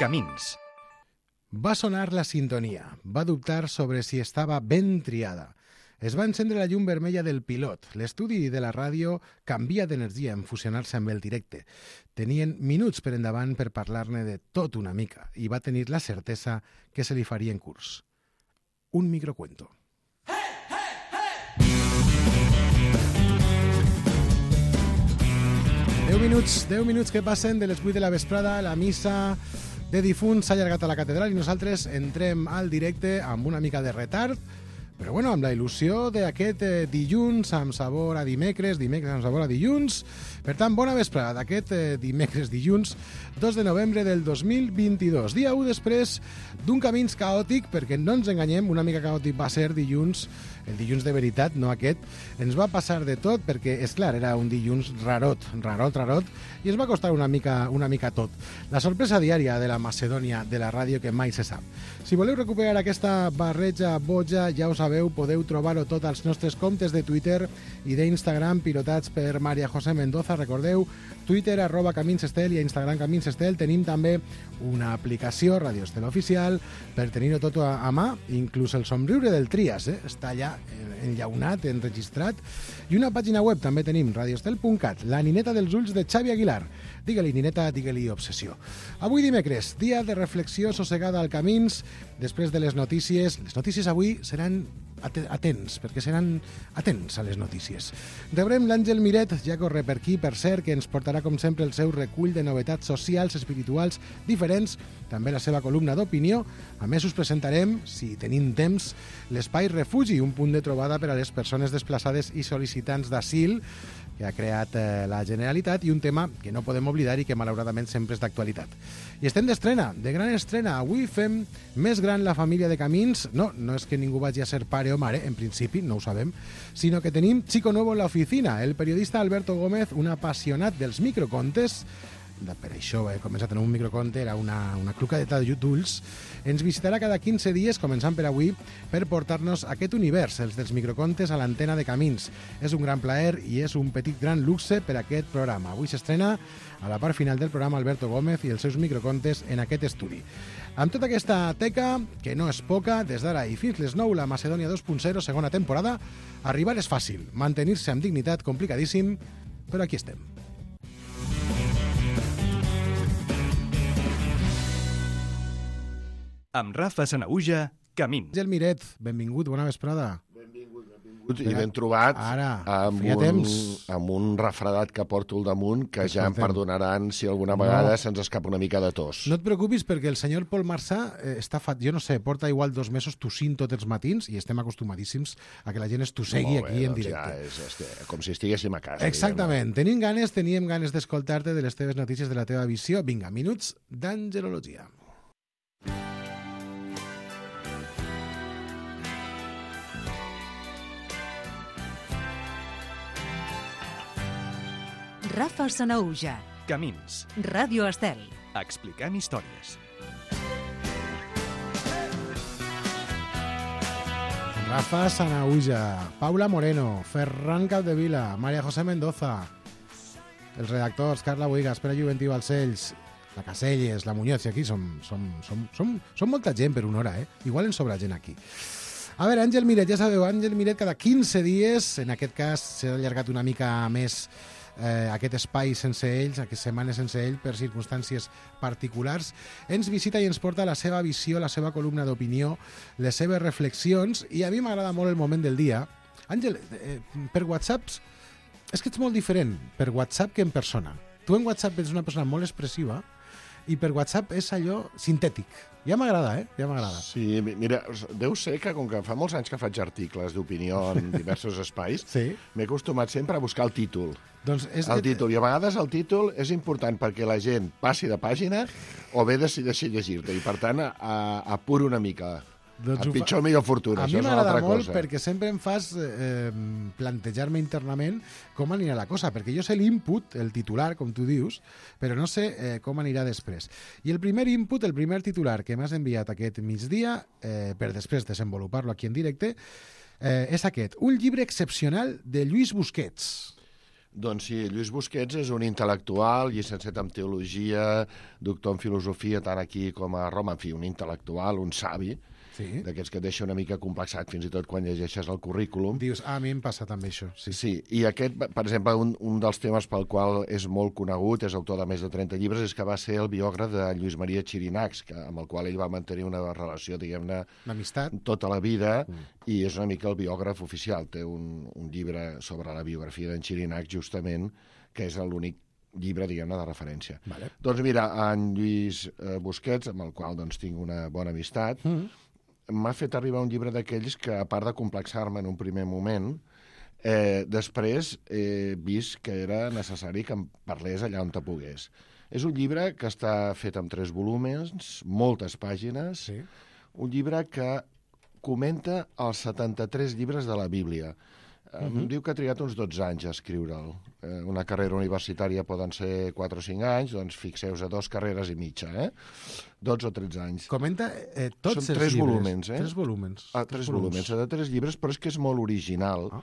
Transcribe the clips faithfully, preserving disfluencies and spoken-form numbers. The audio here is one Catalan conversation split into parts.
Camins. Va sonar la sintonia. Va dubtar sobre si estava ben triada. Es va encendre la llum vermella del pilot. L'estudi de la ràdio canvia d'energia en fusionar-se amb el directe. Tenien minuts per endavant per parlar-ne de tot una mica i va tenir la certesa que se li faria en curs. Un microcuento. Deu minuts, deu minuts que passen de les vuit de la vesprada, la missa de difunts s'ha allargat a la catedral i nosaltres entrem al directe amb una mica de retard, però bueno, amb la il·lusió d'aquest eh, dilluns amb sabor a dimecres, dimecres amb sabor a dilluns. Per tant, bona vesprada d'aquest eh, dimecres dilluns dos de novembre del dos mil vint-i-dos. Dia u després d'un camins caòtic, perquè no ens enganyem, una mica caòtic va ser dilluns, el dilluns de veritat, no aquest. Ens va passar de tot perquè, és clar, era un dilluns rarot, rarot, rarot, i ens va costar una mica, una mica tot. La sorpresa diària de la Macedònia de la ràdio que mai se sap. Si voleu recuperar aquesta barreja boja, ja ho sabeu, podeu trobar-ho tot als nostres comptes de Twitter i d'Instagram pilotats per Maria José Mendoza. Recordeu, Twitter arroba Camins Estel i a Instagram Camins Estel. Tenim també una aplicació, Radio Estel Oficial, per tenir-ho tot a, a mà, inclús el somriure del Trias, eh? Està allà enllaunat, enregistrat, i una pàgina web també tenim, radioestel punt cat, la nineta dels ulls de Xavi Aguilar. Digue-li nineta, digue-li obsessió. Avui dimecres, dia de reflexió sossegada al Camins, després de les notícies. Les notícies avui seran atents, perquè seran atents a les notícies. Rebrem l'Àngel Miret, ja corre per aquí, per cert, que ens portarà com sempre el seu recull de novetats socials, espirituals, diferents, també la seva columna d'opinió. A més, us presentarem, si tenim temps, l'Espai Refugi, un punt de trobada per a les persones desplaçades i sol·licitants d'asil que ha creat eh, la Generalitat, i un tema que no podem oblidar i que malauradament sempre és d'actualitat. I estem d'estrena, de gran estrena. Avui fem més gran la família de Camins. No, no és que ningú vagi a ser pare o mare, en principi, no ho sabem, sinó que tenim chico nuevo en la oficina, el periodista Alberto Gómez, un apassionat dels microcontes. Per això he començat en un microconte, era una, una clucadeta d'ulls. Ens visitarà cada quinze dies, començant per avui, per portar-nos aquest univers, els dels microcontes, a l'antena de Camins. És un gran plaer i és un petit gran luxe per a aquest programa. Avui s'estrena a la part final del programa Alberto Gómez i els seus microcontes en aquest estudi. Amb tota aquesta teca, que no és poca, des d'ara i fins les nou, la Macedònia dos punt zero, segona temporada, arribar és fàcil, mantenir-se amb dignitat complicadíssim, però aquí estem. Amb Rafa Sanaüja, Camins. Àngel Miret, benvingut, bona vesprada. Benvingut, benvingut i ben trobat. Ara, amb feia un, temps. amb un refredat que porto al damunt, que ja em Escoltem. perdonaran si alguna vegada No. se'ns escapa una mica de tos. No et preocupis, perquè el senyor Pol Marçà eh, està fat, jo no sé, porta igual dos mesos tossint tots els matins i estem acostumadíssims a que la gent es tossegui Molt bé, aquí en doncs directe. Ja és, és, com si estiguéssim a casa. Exactament. Tenim ganes, teníem ganes d'escoltar-te de les teves notícies, de la teva visió. Vinga, minuts d'angelologia. Rafa Sanaüja, Camins. Ràdio Estel. Explicant històries. Rafa Sanaüja, Paula Moreno, Ferran Capdevila, Maria José Mendoza, els redactors Carla Boigas, Pere Juventí Balcells, la Caselles, la Muñoz, i aquí som, som, som, som, som molta gent per una hora, eh? Igual en sobra gent aquí. A veure, Àngel Miret, ja sabeu, Àngel Miret cada quinze dies, en aquest cas s'ha allargat una mica més eh, aquest espai sense ells, aquestes setmanes sense ell, per circumstàncies particulars, ens visita i ens porta la seva visió, la seva columna d'opinió, les seves reflexions, i a mi m'agrada molt el moment del dia. Àngel, eh, per WhatsApp, és que ets molt diferent per WhatsApp que en persona. Tu en WhatsApp ets una persona molt expressiva i per WhatsApp és allò sintètic. Ja m'agrada, eh? Ja m'agrada. Sí, mira, deu ser que com que fa molts anys que faig articles d'opinió en diversos espais, Sí. m'he acostumat sempre a buscar el títol. Doncs és El que- títol, i a vegades el títol és important perquè la gent passi de pàgina o bé decideixi llegir-te, i per tant a, a, apuro una mica. Doncs a ho fa- pitjor millor fortuna, A mi això és una m'agrada altra molt cosa. perquè sempre em fas eh, plantejar-me internament com anirà la cosa, perquè jo sé l'input, el titular, com tu dius, però no sé eh, com anirà després. I el primer input, el primer titular que m'has enviat aquest migdia, eh, per després desenvolupar-lo aquí en directe, eh, és aquest: un llibre excepcional de Lluís Busquets. Doncs sí, Lluís Busquets és un intel·lectual, llicenciat en teologia, doctor en filosofia, tant aquí com a Roma, en fi, un intel·lectual, un savi, Sí. d'aquests que et deixa una mica complexat, fins i tot quan llegeixes el currículum. Dius, ah, a mi em passa també això. Sí. Sí, i aquest, per exemple, un, un dels temes pel qual és molt conegut, és autor de més de trenta llibres, és que va ser el biògraf de Lluís Maria Xirinacs, que, amb el qual ell va mantenir una relació, diguem-ne, L'amistat. tota la vida, mm. i és una mica el biògraf oficial. Té un, un llibre sobre la biografia d'en Xirinacs, justament, que és l'únic llibre, diguem-ne, de referència. Vale. Doncs mira, en Lluís eh, Busquets, amb el qual doncs, tinc una bona amistat, mm. m'ha fet arribar un llibre d'aquells que, a part de complexar-me en un primer moment, eh, després he vist que era necessari que em parlés allà on te pogués. És un llibre que està fet amb tres volúmens, moltes pàgines, Sí. un llibre que comenta els setanta-tres llibres de la Bíblia. Uh-huh. Em diu que ha trigat uns dotze anys a escriure'l. Eh, una carrera universitària poden ser quatre o cinc anys, doncs fixeu-vos a dos carreres i mitja, eh? dotze o tretze anys. Comenta eh, tots Són els tres llibres. volúmens, eh? Tres volúmens. Ah, tres volúmens, de tres llibres, però és que és molt original, Ah.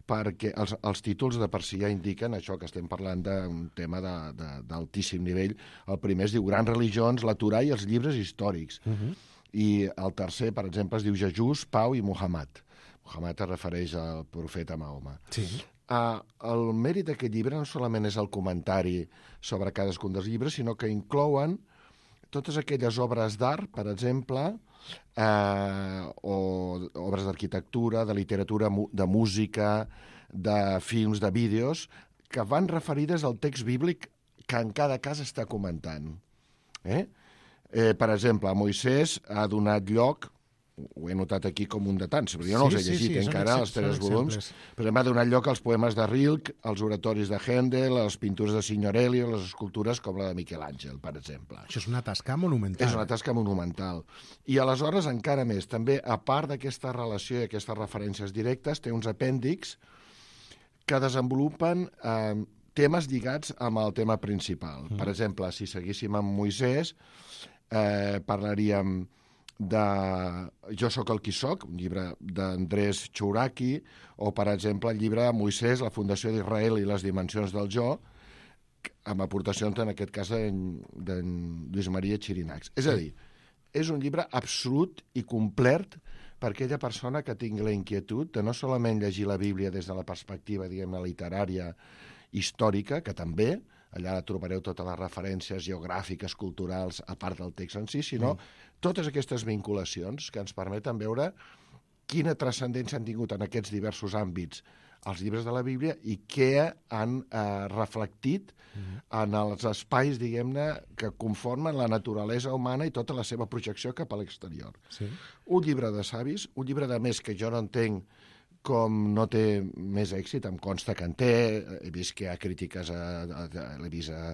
perquè els, els títols de per si ja indiquen això, que estem parlant d'un tema de- de- d'altíssim nivell. El primer es diu Grans religions, la Torà i els llibres històrics. Uh -huh. I el tercer, per exemple, es diu Jesús, Pau i Muhammad. Muhammad es refereix al profeta Mahoma. Sí. Uh, el mèrit d'aquest llibre no solament és el comentari sobre cadascun dels llibres, sinó que inclouen totes aquelles obres d'art, per exemple, eh, o obres d'arquitectura, de literatura, de música, de films, de vídeos, que van referides al text bíblic que en cada cas està comentant. Eh? Eh, per exemple, Moisès ha donat lloc, ho he notat aquí com un de tants, però jo no Sí, els he sí, llegit sí, són encara, ex- els tres són volums, exemples. però va donar lloc als poemes de Rilke, als oratoris de Händel, a les pintures de Signorelli, a les escultures com la de Miquel Àngel, per exemple. Això és una tasca monumental. És una tasca monumental. I aleshores encara més, també, a part d'aquesta relació i aquestes referències directes, té uns apèndixs que desenvolupen eh, temes lligats amb el tema principal. Mm. Per exemple, si seguíssim amb Moisès, eh, parlaríem de Jo sóc el qui soc, un llibre d'Andrés Chouraki, o, per exemple, el llibre de Moisès, la fundació d'Israel i les dimensions del jo, amb aportacions, en aquest cas, d'en Lluís Maria Xirinacs. És a dir, és un llibre absolut i complet per aquella persona que tingui la inquietud de no solament llegir la Bíblia des de la perspectiva, diguem-ne, literària, històrica, que també, allà trobareu totes les referències geogràfiques, culturals, a part del text en si, sinó mm. totes aquestes vinculacions que ens permeten veure quina transcendència han tingut en aquests diversos àmbits els llibres de la Bíblia i què han eh, reflectit mm. en els espais, diguem-ne, que conformen la naturalesa humana i tota la seva projecció cap a l'exterior. Sí. Un llibre de savis, un llibre de més que jo no entenc com no té més èxit, em consta que en té, he vist que hi ha crítiques, a, a, a, l'he vist a,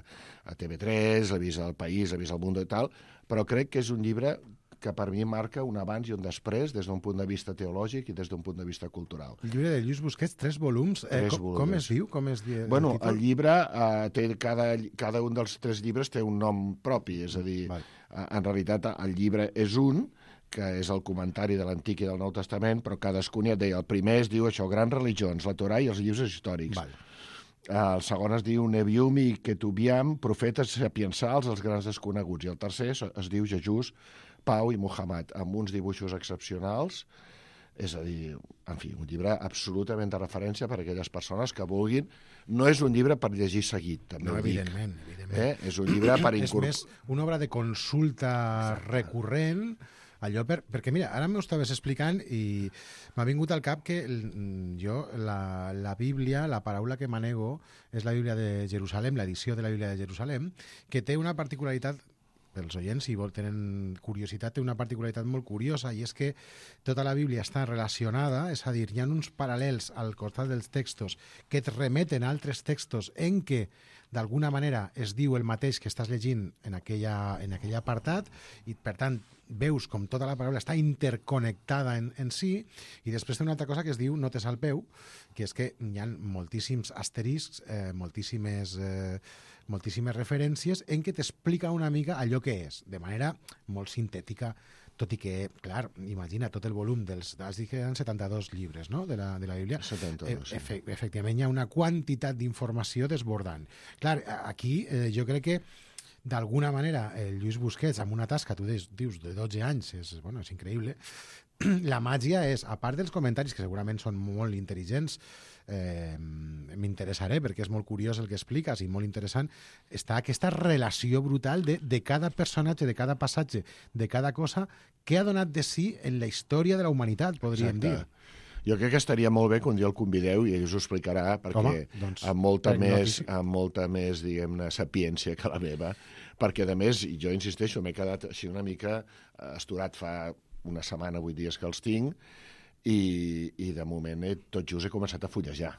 a T V tres, l'he vist al País, l'he vist al Mundo i tal, però crec que és un llibre que per mi marca un abans i un després des d'un punt de vista teològic i des d'un punt de vista cultural. El llibre de Lluís Busquets, tres volums. Eh, Tres com, volums. com es diu? Com es diu Bueno, el títol? el llibre, eh, té cada, cada un dels tres llibres té un nom propi, és a dir, Val. eh, en realitat el llibre és un, que és el comentari de l'Antic i del Nou Testament, però cadascun ja et deia, el primer es diu això, Grans religions, la Torà i els llibres històrics. Val. El segon es diu Nevium i Ketubiam, profetes sapiensals, els grans desconeguts. I el tercer es, es diu Jesús, Pau i Muhammad, amb uns dibuixos excepcionals. És a dir, en fi, un llibre absolutament de referència per a aquelles persones que vulguin. No és un llibre per llegir seguit, també No, ho dic. evidentment, evidentment. Eh? És un llibre per És incorporar... més una obra de consulta recurrent, allò per, perquè mira, ara m'ho estaves explicant i m'ha vingut al cap que el- jo, la, la Bíblia, la paraula que manego és la Bíblia de Jerusalem, l'edició de la Bíblia de Jerusalem, que té una particularitat, pels oients, si vol, tenen curiositat, té una particularitat molt curiosa, i és que tota la Bíblia està relacionada, és a dir, hi ha uns paral·lels al costat dels textos que et remeten a altres textos en què d'alguna manera es diu el mateix que estàs llegint en, aquella, en aquell apartat, i per tant veus com tota la paraula està interconnectada en, en si, i després té una altra cosa que es diu notes al peu, que és que hi ha moltíssims asteriscs, eh, moltíssimes, eh, moltíssimes referències en què t'explica una mica allò que és, de manera molt sintètica, tot i que, clar, imagina tot el volum dels... Has dit que eren setanta-dos llibres, no?, de la, de la Bíblia. setanta-dos, sí. Efe, efectivament, hi ha una quantitat d'informació desbordant. Clar, aquí eh, jo crec que d'alguna manera el Lluís Busquets, amb una tasca, tu dius, dius de dotze anys, és, bueno, és increïble, la màgia és, a part dels comentaris, que segurament són molt intel·ligents, eh, m'interessaré perquè és molt curiós el que expliques i molt interessant, està aquesta relació brutal de, de cada personatge, de cada passatge, de cada cosa que ha donat de si en la història de la humanitat, podríem Exacte. dir. Jo crec que estaria molt bé que un dia el convideu i ell us ho explicarà, perquè Home, doncs, amb molta prenc més, notícia. amb molta més, diguem-ne, sapiència que la meva, perquè, a més, jo insisteixo, m'he quedat així una mica esturat fa una setmana, vuit dies que els tinc, i, i de moment he, tot just he començat a fullejar.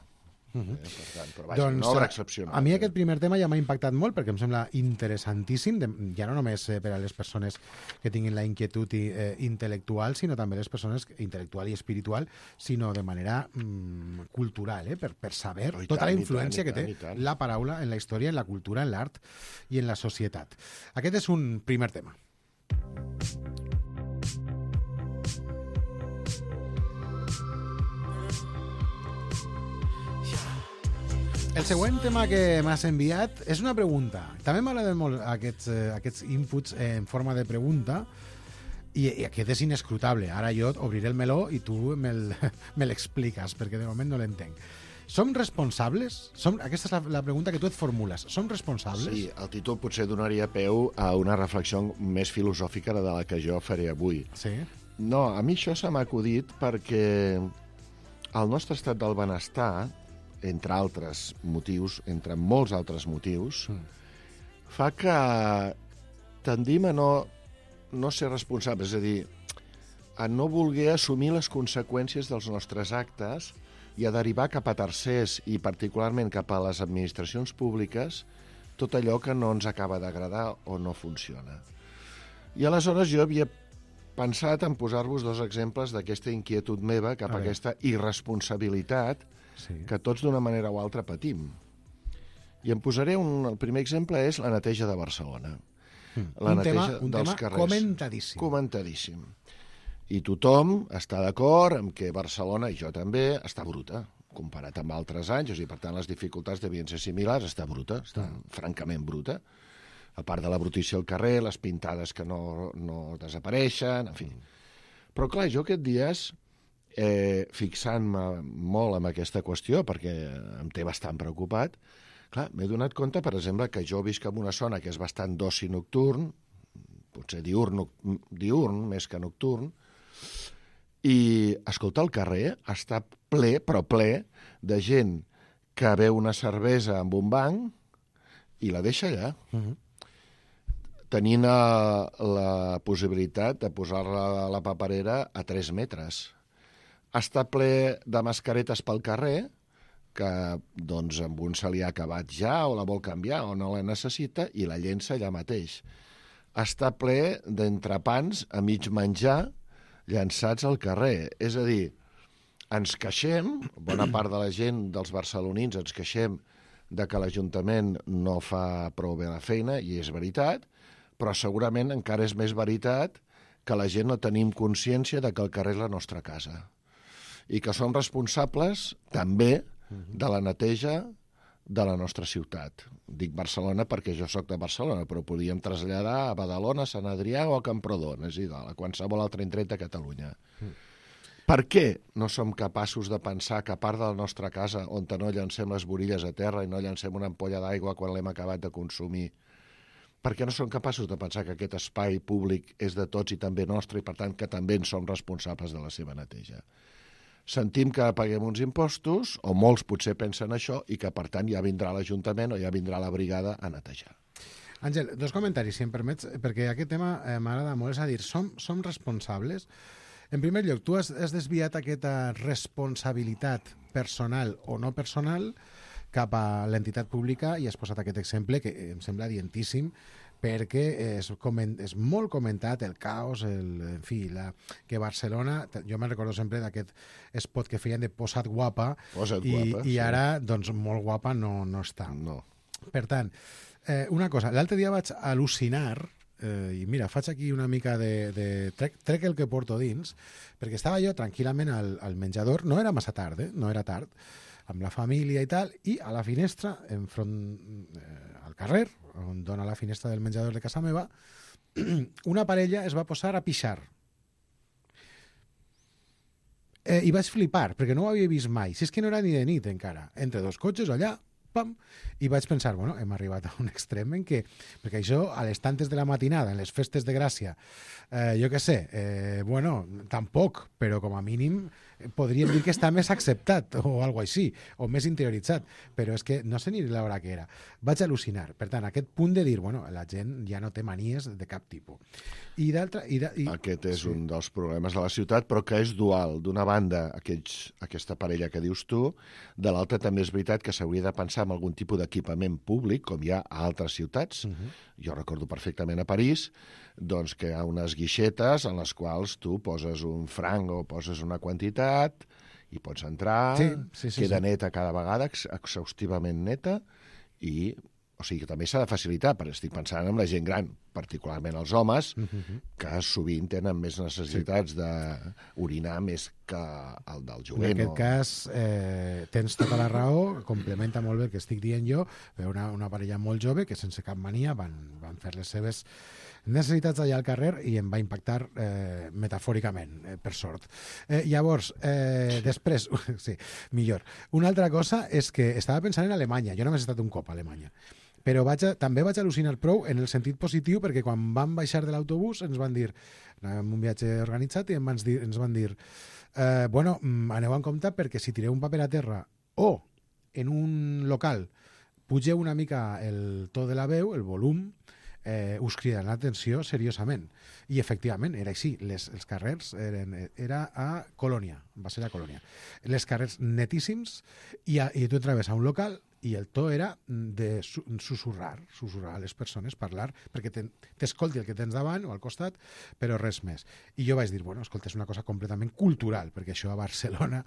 Uh -huh. eh, per tant, però vaja, Doncs, una obra excepcional. A mi eh? aquest primer tema ja m'ha impactat molt perquè em sembla interessantíssim, de, ja no només eh, per a les persones que tinguin la inquietud i, eh, intel·lectual, sinó també les persones intel·lectual i espiritual, sinó de manera mm, cultural, eh, per, per saber Oh, tota tant, la influència tant, que tant, té tant. la paraula en la història, en la cultura, en l'art i en la societat. Aquest és un primer tema. El següent tema que m'has enviat és una pregunta. També m'agraden molt aquests, eh, aquests inputs en forma de pregunta i, i aquest és inescrutable. Ara jo obriré el meló i tu me'l me l'expliques, perquè de moment no l'entenc. Som responsables? Som, aquesta és la, la pregunta que tu et formules. Som responsables? Sí, el títol potser donaria peu a una reflexió més filosòfica de la que jo faré avui. Sí. No, a mi això se m'ha acudit perquè el nostre estat del benestar, entre altres motius, entre molts altres motius, mm. fa que tendim a no, no ser responsables, és a dir, a no voler assumir les conseqüències dels nostres actes i a derivar cap a tercers i particularment cap a les administracions públiques tot allò que no ens acaba d'agradar o no funciona. I aleshores jo havia pensat en posar-vos dos exemples d'aquesta inquietud meva cap a, a aquesta irresponsabilitat sí. que tots d'una manera o altra patim. I em posaré un... El primer exemple és la neteja de Barcelona. Mm. La un neteja tema, un dels tema carrers. comentadíssim. Comentadíssim. I tothom està d'acord amb que Barcelona, i jo també, està bruta, comparat amb altres anys, o sigui, per tant, les dificultats devien ser similars, està bruta, està mm. francament bruta, a part de la brutícia al carrer, les pintades que no, no desapareixen, en fi. Però, clar, jo aquests dies, eh, fixant-me molt en aquesta qüestió, perquè em té bastant preocupat, clar, m'he donat compte, per exemple, que jo visc en una zona que és bastant d'oci nocturn, potser diurn, diurn més que nocturn, i, escolta, el carrer està ple, però ple, de gent que veu una cervesa amb un banc i la deixa allà. Uh -huh. Tenint la, la possibilitat de posar-la a la paperera a tres metres. Està ple de mascaretes pel carrer, que doncs amb un se li ha acabat ja o la vol canviar o no la necessita i la llença allà mateix. Està ple d'entrepans a mig menjar llançats al carrer. És a dir, ens queixem, bona part de la gent dels barcelonins ens queixem de que l'Ajuntament no fa prou bé la feina, i és veritat, però segurament encara és més veritat que la gent no tenim consciència de que el carrer és la nostra casa i que som responsables també de la neteja de la nostra ciutat. Dic Barcelona perquè jo sóc de Barcelona, però podríem traslladar a Badalona, a Sant Adrià o a Camprodon, és igual, a qualsevol altre indret de Catalunya. Mm. Per què no som capaços de pensar que a part de la nostra casa, on no llancem les borilles a terra i no llancem una ampolla d'aigua quan l'hem acabat de consumir, per què no som capaços de pensar que aquest espai públic és de tots i també nostre i, per tant, que també en som responsables de la seva neteja? Sentim que paguem uns impostos, o molts potser pensen això, i que, per tant, ja vindrà l'Ajuntament o ja vindrà la brigada a netejar. Àngel, dos comentaris, si em permets, perquè aquest tema eh, m'agrada molt. És a dir, som, som responsables? En primer lloc, tu has, has desviat aquesta responsabilitat personal o no personal cap a l'entitat pública i has posat aquest exemple que em sembla dientíssim, perquè és, coment, és molt comentat el caos, el, en fi, la, que Barcelona, jo me'n recordo sempre d'aquest spot que feien de Posa't guapa, Posa't i, guapa, i sí. ara, doncs, molt guapa no, no està. No. Per tant, eh, una cosa, l'altre dia vaig al·lucinar eh, i mira, faig aquí una mica de... de trec, trec el que porto dins, perquè estava jo tranquil·lament al, al menjador, no era massa tard, eh? no era tard, amb la família i tal, i a la finestra, enfront, eh, al carrer, on dona la finestra del menjador de casa meva, una parella es va posar a pixar. Eh, I vaig flipar, perquè no ho havia vist mai. Si és que no era ni de nit encara. Entre dos cotxes allà, pam, i vaig pensar, bueno, hem arribat a un extrem en què, perquè això, a les tantes de la matinada, en les festes de Gràcia, eh, jo què sé, eh, bueno, tampoc, però com a mínim podríem dir que està més acceptat o alguna cosa així, o més interioritzat, però és que no sé ni l'hora que era. Vaig al·lucinar. Per tant, aquest punt de dir, bueno, la gent ja no té manies de cap tipus. I d'altra... I de, i... Aquest és sí. un dels problemes de la ciutat, però que és dual. D'una banda, aquells, aquesta parella que dius tu, de l'altra també és veritat que s'hauria de pensar en algun tipus d'equipament públic, com hi ha a altres ciutats. Uh-huh. Jo recordo perfectament a París, doncs que hi ha unes guixetes en les quals tu poses un franc o poses una quantitat i pots entrar, sí, sí, sí, queda sí. neta cada vegada, exhaustivament neta, i o sigui que també s'ha de facilitar, perquè estic pensant en la gent gran, particularment els homes, uh-huh. que sovint tenen més necessitats sí. d'orinar més que el del jovent. En aquest o... cas, eh, tens tota la raó, complementa molt bé el que estic dient jo, però una, una parella molt jove que sense cap mania van, van fer les seves necessitats allà al carrer i em va impactar eh, metafòricament, eh, per sort. Eh, llavors, eh, després, sí, millor. Una altra cosa és que estava pensant en Alemanya. Jo només he estat un cop a Alemanya. Però vaig a, també vaig al·lucinar prou en el sentit positiu perquè quan vam baixar de l'autobús ens van dir, anàvem un viatge organitzat i ens van dir, ens van dir eh, bueno, aneu en compte perquè si tireu un paper a terra o en un local pugeu una mica el to de la veu, el volum, eh, us cridaran l'atenció seriosament. I efectivament, era així. Les, els carrers eren, era a Colònia, va ser a Colònia. Les carrers netíssims i, a, i tu entraves a un local i el to era de susurrar, susurrar a les persones, parlar, perquè t'escolti el que tens davant o al costat, però res més. I jo vaig dir, bueno, escolta, és una cosa completament cultural, perquè això a Barcelona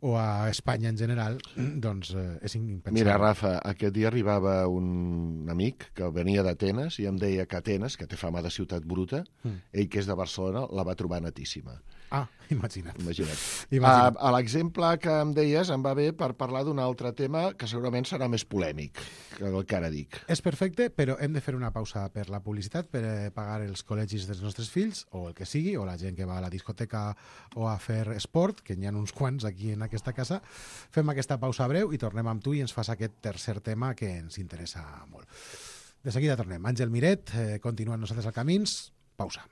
o a Espanya en general, doncs eh, és impensable. Mira, Rafa, aquest dia arribava un amic que venia d'Atenes i em deia que Atenes, que té fama de ciutat bruta, mm. ell que és de Barcelona, la va trobar netíssima. Ah, imagina't. Imagina't. imagina't. A, a l'exemple que em deies em va bé per parlar d'un altre tema que segurament serà més polèmic que el que ara dic. És perfecte, però hem de fer una pausa per la publicitat, per eh, pagar els col·legis dels nostres fills, o el que sigui, o la gent que va a la discoteca o a fer esport, que n'hi ha uns quants aquí en aquesta casa. Fem aquesta pausa breu i tornem amb tu i ens fas aquest tercer tema que ens interessa molt. De seguida tornem. Àngel Miret, eh, continuant nosaltres al Camins. Pausa.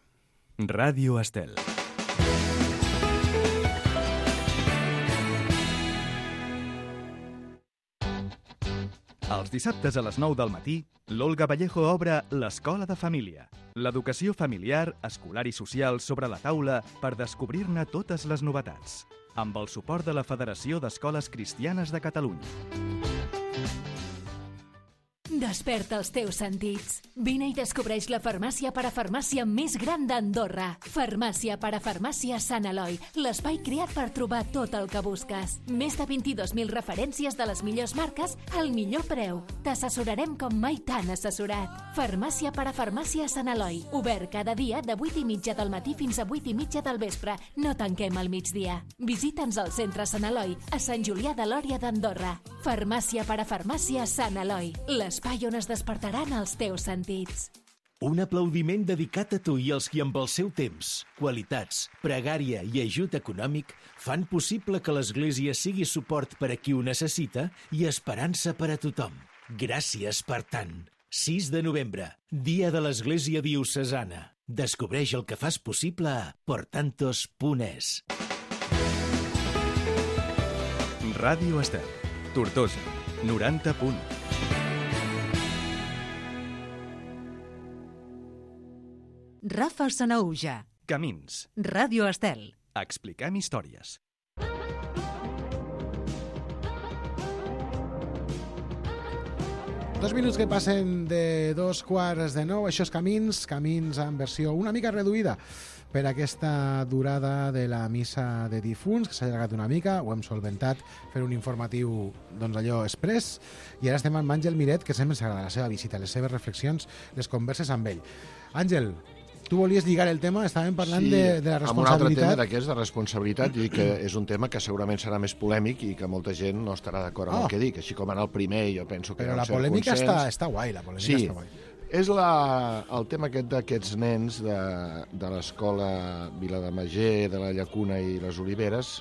Ràdio Estel. Els dissabtes a les nou del matí, l'Olga Vallejo obre l'Escola de Família. L'educació familiar, escolar i social sobre la taula per descobrir-ne totes les novetats. Amb el suport de la Federació d'Escoles Cristianes de Catalunya. Desperta els teus sentits. Vine i descobreix la farmàcia parafarmàcia més gran d'Andorra. Farmàcia parafarmàcia Sant Eloi, l'espai creat per trobar tot el que busques. Més de vint-i-dos mil referències de les millors marques al millor preu. T'assessorarem com mai t'han assessorat. Farmàcia parafarmàcia Sant Eloi, obert cada dia de vuit i mitja del matí fins a vuit i mitja del vespre. No tanquem al migdia. Visita'ns al centre Sant Eloi, a Sant Julià de Lòria d'Andorra. Farmàcia parafarmàcia Sant Eloi, l'espai on es despertaran els teus sentits. Un aplaudiment dedicat a tu i als qui amb el seu temps, qualitats, pregària i ajut econòmic fan possible que l'Església sigui suport per a qui ho necessita i esperança per a tothom. Gràcies per tant. sis de novembre, Dia de l'Església Diocesana. Descobreix el que fas possible a portantos punt es. Ràdio Estel. Tortosa, noranta punt. Rafa Sanaüja. Camins. Ràdio Estel. Expliquem històries. Dos minuts que passen de dos quarts de nou, això és Camins, Camins en versió una mica reduïda per aquesta durada de la missa de difunts, que s'ha allargat una mica, ho hem solventat fer un informatiu, doncs allò, express, i ara estem amb Àngel Miret, que sempre ens agrada la seva visita, les seves reflexions, les converses amb ell. Àngel, tu volies lligar el tema, estàvem parlant sí, de, de la responsabilitat. Amb un altre tema d'aquests de responsabilitat, i que és un tema que segurament serà més polèmic i que molta gent no estarà d'acord amb oh. el que dic, així com en el primer jo penso que però hi ha un la cert polèmica consens. està, està guai, la polèmica sí, està guai. És la, el tema aquest d'aquests nens de, de l'escola Vilademuller, de la Llacuna i les Oliveres,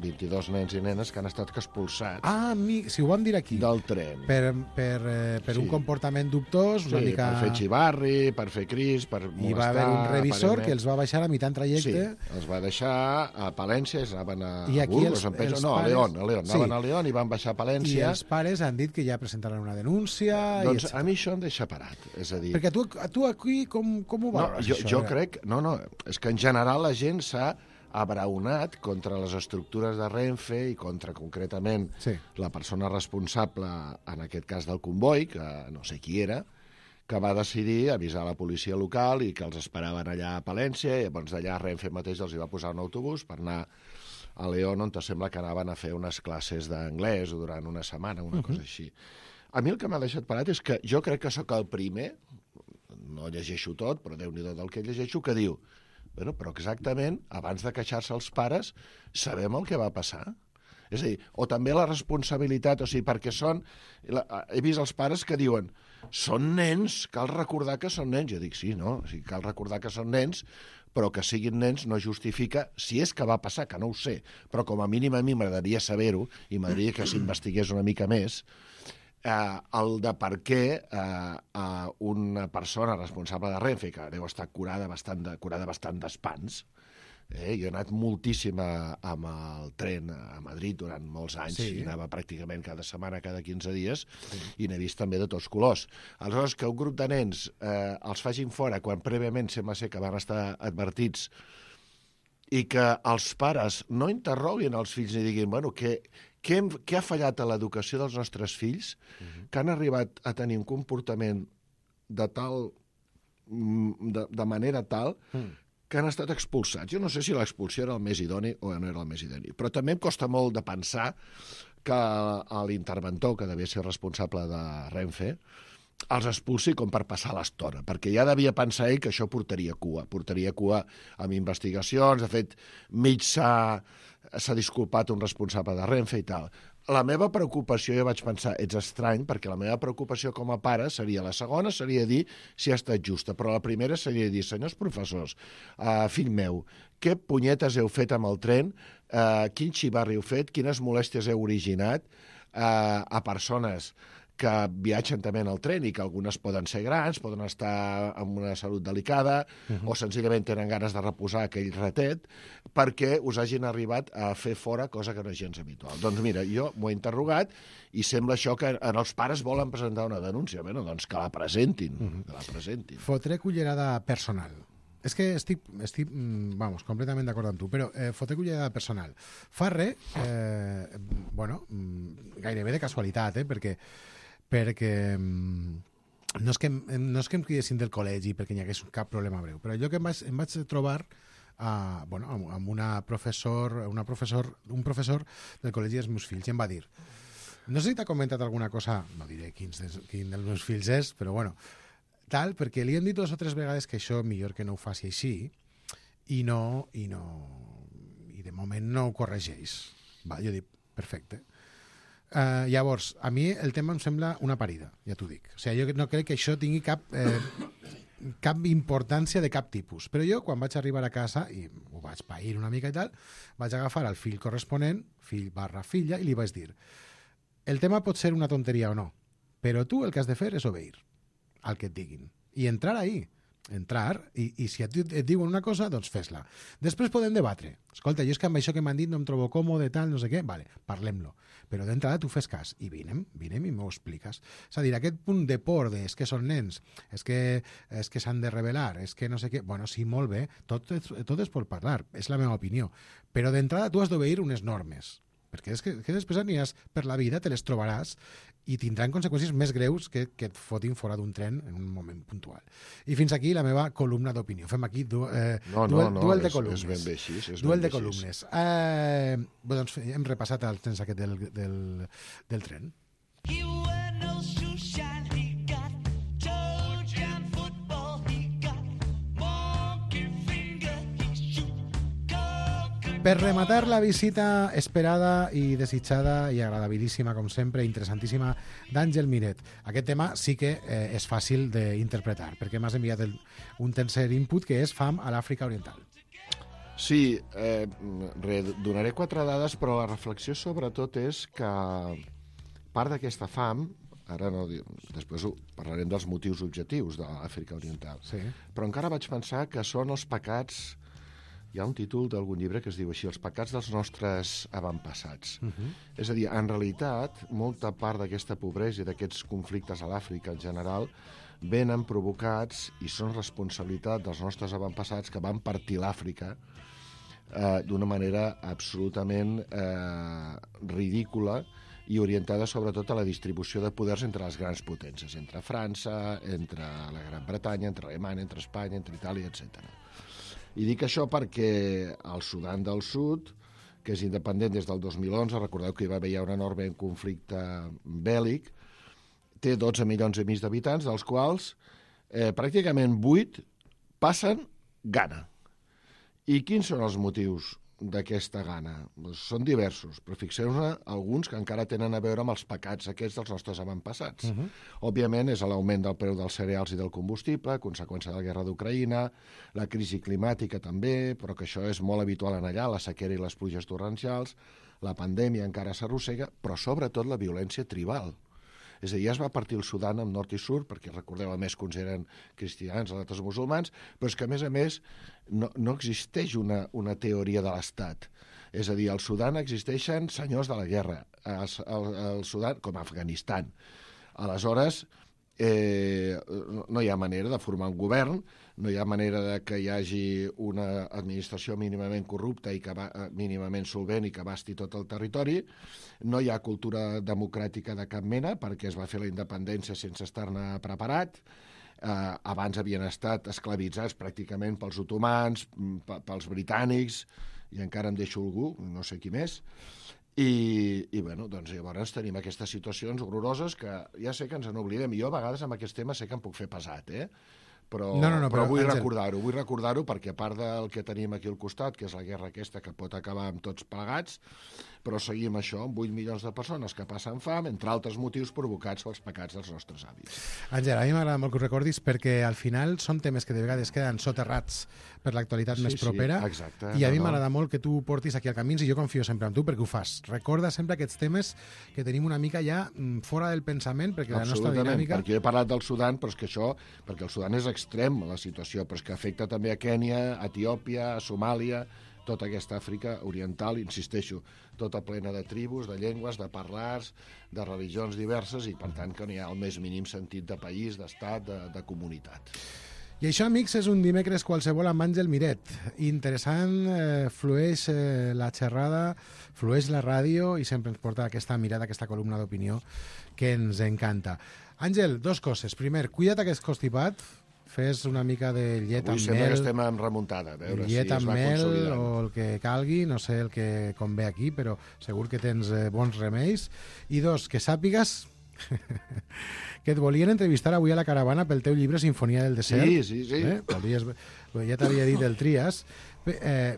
vint-i-dos nens i nenes que han estat expulsats ah, mi, si ho vam dir aquí del tren per, per, eh, per sí. un comportament dubtós sí, una mica... per fer xivarri, per fer cris, per molestar... I va haver un revisor aparentment. que els va baixar a mitjà en trajecte. Sí, els va deixar a Palència, anaven a, I a Burgos, els, em penso, els no, pares... a León, a León, sí. anaven a León i van baixar a Palència. I els pares han dit que ja presentaran una denúncia... Doncs i a mi això em deixa parat, és a dir... Perquè tu, tu aquí com, com ho veus? No, jo, això, jo crec... No, no, és que en general la gent s'ha abraonat contra les estructures de Renfe i contra, concretament, sí. la persona responsable, en aquest cas del comboi, que no sé qui era, que va decidir avisar la policia local i que els esperaven allà a Palència, i llavors d'allà Renfe mateix els hi va posar un autobús per anar a León, on sembla que anaven a fer unes classes d'anglès o durant una setmana, una uh-huh. cosa així. A mi el que m'ha deixat parat és que jo crec que sóc el primer, no llegeixo tot, però Déu-n'hi-do del que llegeixo, que diu bueno, però exactament, abans de queixar-se els pares, sabem el que va passar. És a dir, o també la responsabilitat, o sigui, perquè són... La, he vist els pares que diuen són nens, cal recordar que són nens. Jo dic, sí, no? O sigui, cal recordar que són nens, però que siguin nens no justifica, si és que va passar, que no ho sé, però com a mínim a mi m'agradaria saber-ho, i m'agradaria que s'investigués una mica més, Eh, el de per què eh, eh, una persona responsable de Renfe, que deu estar curada bastant de, curada bastant d'espants, eh, jo he anat moltíssim a, amb el tren a Madrid durant molts anys, sí. i anava pràcticament cada setmana, cada quinze dies, sí. i n'he vist també de tots colors. Aleshores, que un grup de nens eh, els facin fora, quan prèviament sembla ser que van estar advertits, i que els pares no interroguin els fills i diguin, bueno, què... Què, hem, què ha fallat a l'educació dels nostres fills uh-huh. que han arribat a tenir un comportament de tal de, de manera tal uh-huh. que han estat expulsats. Jo no sé si l'expulsió era el més idoni o no era el més idoni, però també em costa molt de pensar que l'interventor, que devia ser responsable de Renfe, els expulsi com per passar l'estona, perquè ja devia pensar ell que això portaria cua, portaria cua amb investigacions, de fet, mig s'ha s'ha disculpat un responsable de Renfe i tal. La meva preocupació, jo vaig pensar, ets estrany, perquè la meva preocupació com a pare seria, la segona seria dir si ha estat justa, però la primera seria dir, senyors professors, uh, fill meu, què punyetes heu fet amb el tren, uh, quin xivarri heu fet, quines molèsties heu originat uh, a persones que viatgen també en el tren i que algunes poden ser grans, poden estar amb una salut delicada uh-huh. o senzillament tenen ganes de reposar aquell ratet perquè us hagin arribat a fer fora cosa que no és gens habitual. Doncs mira, jo m'ho he interrogat i sembla això que en els pares volen presentar una denúncia. Bueno, doncs que la presentin, uh-huh. que la presentin. Fotré cullerada personal. És que estic, estic vamos, completament d'acord amb tu, però eh, fotré cullerada personal. Fa res, eh, bueno, gairebé de casualitat, eh, perquè perquè no és que, no és que em cridessin del col·legi perquè hi hagués cap problema breu, però jo que em vaig, em vaig trobar uh, bueno, amb, amb una professor, una professor, un professor del col·legi dels meus fills i em va dir, no sé si t'ha comentat alguna cosa, no diré quin dels, quin dels meus fills és, però bueno, tal, perquè li hem dit dues o tres vegades que això millor que no ho faci així i no, i no, i de moment no ho corregeix. Va, jo dic, perfecte. Uh, llavors, a mi el tema em sembla una parida, ja t'ho dic. O sigui, jo no crec que això tingui cap, eh, cap importància de cap tipus. Però jo, quan vaig arribar a casa, i ho vaig pair una mica i tal, vaig agafar el fill corresponent, fill barra filla, i li vaig dir, el tema pot ser una tonteria o no, però tu el que has de fer és obeir al que et diguin. I entrar ahí. entrar, i, i si et, et diuen una cosa, doncs fes-la. Després podem debatre. Escolta, jo és que amb això que m'han dit no em trobo còmode, tal, no sé què, vale, parlem-lo. Però d'entrada tu fes cas, i vinem, vinem i m'ho expliques. És a dir, aquest punt de por de és que són nens, és que, és que s'han de revelar, és que no sé què, bueno, sí, molt bé, tot, tot es pot parlar, és la meva opinió. Però d'entrada tu has d'obeir unes normes. perquè és que, que després aniràs per la vida, te les trobaràs i tindran conseqüències més greus que, que et fotin fora d'un tren en un moment puntual. I fins aquí la meva columna d'opinió. Fem aquí du eh, no, no, duel, no, duel de és, columnes. és ben bé així. És duel ben de columnes. Eh, bé, doncs hem repassat els trens aquest del, del, del tren. Per rematar la visita esperada i desitjada i agradabilíssima, com sempre, interessantíssima, d'Àngel Miret. Aquest tema sí que eh, és fàcil d'interpretar, perquè m'has enviat el, un tercer input, que és fam a l'Àfrica Oriental. Sí, eh, re, donaré quatre dades, però la reflexió sobretot és que part d'aquesta fam, ara no, després parlarem dels motius objectius de l'Àfrica Oriental, sí. Però encara vaig pensar que són els pecats. Hi ha un títol d'algun llibre que es diu així, els pecats dels nostres avantpassats. Uh-huh. És a dir, en realitat, molta part d'aquesta pobresa i d'aquests conflictes a l'Àfrica en general venen provocats i són responsabilitat dels nostres avantpassats que van partir l'Àfrica eh, d'una manera absolutament eh, ridícula i orientada sobretot a la distribució de poders entre les grans potències, entre França, entre la Gran Bretanya, entre Alemanya, entre Espanya, entre Itàlia, etcètera. I dic això perquè el Sudan del Sud, que és independent des del dos mil onze, recordeu que hi va haver ja un enorme conflicte bèl·lic, té dotze milions i mig d'habitants, dels quals eh, pràcticament vuit passen gana. I quins són els motius d'aquesta gana? Doncs són diversos, però fixeu-ne alguns que encara tenen a veure amb els pecats aquests dels nostres avantpassats. Uh-huh. Òbviament és l'augment del preu dels cereals i del combustible, conseqüència de la guerra d'Ucraïna, la crisi climàtica també, però que això és molt habitual en allà, la sequera i les pluges torrencials, la pandèmia encara s'arrossega, però sobretot la violència tribal. És a dir, ja es va partir el Sudan en nord i sud, perquè recordeu, a més, que uns eren cristians, els altres musulmans, però és que, a més a més, no, no existeix una, una teoria de l'Estat. És a dir, al Sudan existeixen senyors de la guerra, al, al, al Sudan, com a Afganistan. Aleshores, eh, no hi ha manera de formar un govern, no hi ha manera de que hi hagi una administració mínimament corrupta i que va, mínimament solvent i que abasti tot el territori, no hi ha cultura democràtica de cap mena perquè es va fer la independència sense estar-ne preparat, eh, abans havien estat esclavitzats pràcticament pels otomans, pels britànics, i encara em deixo algú, no sé qui més, I, i bueno, doncs llavors tenim aquestes situacions horroroses que ja sé que ens en oblidem, i jo a vegades amb aquest tema sé que em puc fer pesat, eh? Però, no, no, no, però, però vull Àngel... recordar-ho, vull recordar-ho perquè a part del que tenim aquí al costat, que és la guerra aquesta que pot acabar amb tots plegats, però seguim això, amb vuit milions de persones que passen fam, entre altres motius provocats pels pecats dels nostres avis. Àngel, a mi m'agrada molt que ho recordis perquè al final són temes que de vegades queden soterrats per l'actualitat sí, més propera, sí, exacte, i a no, mi no. m'agrada molt que tu portis aquí al Camins, i jo confio sempre en tu perquè ho fas. Recorda sempre aquests temes que tenim una mica ja fora del pensament, perquè la nostra dinàmica... perquè jo he parlat del Sudan, però és que això, perquè el Sudan és extrem, la situació, però és que afecta també a Kènia, a Etiòpia, a Somàlia, tota aquesta Àfrica oriental, insisteixo, tota plena de tribus, de llengües, de parlars, de religions diverses, i per tant que no hi ha el més mínim sentit de país, d'estat, de, de comunitat. I això, amics, és un dimecres qualsevol amb Àngel Miret. Interessant, eh, flueix eh, la xerrada, flueix la ràdio i sempre ens porta aquesta mirada, aquesta columna d'opinió que ens encanta. Àngel, dos coses. Primer, cuida't aquest constipat, fes una mica de llet Avui amb sembla mel, que estem en remuntada, a veure llet si es amb va mel consolidant. o el que calgui, no sé el que convé aquí, però segur que tens eh, bons remeis. I dos, que sàpigues que et volien entrevistar avui a la caravana pel teu llibre Sinfonia del Desert. Sí, sí, sí. Eh? Podries, ja t'havia dit el Trias. Eh,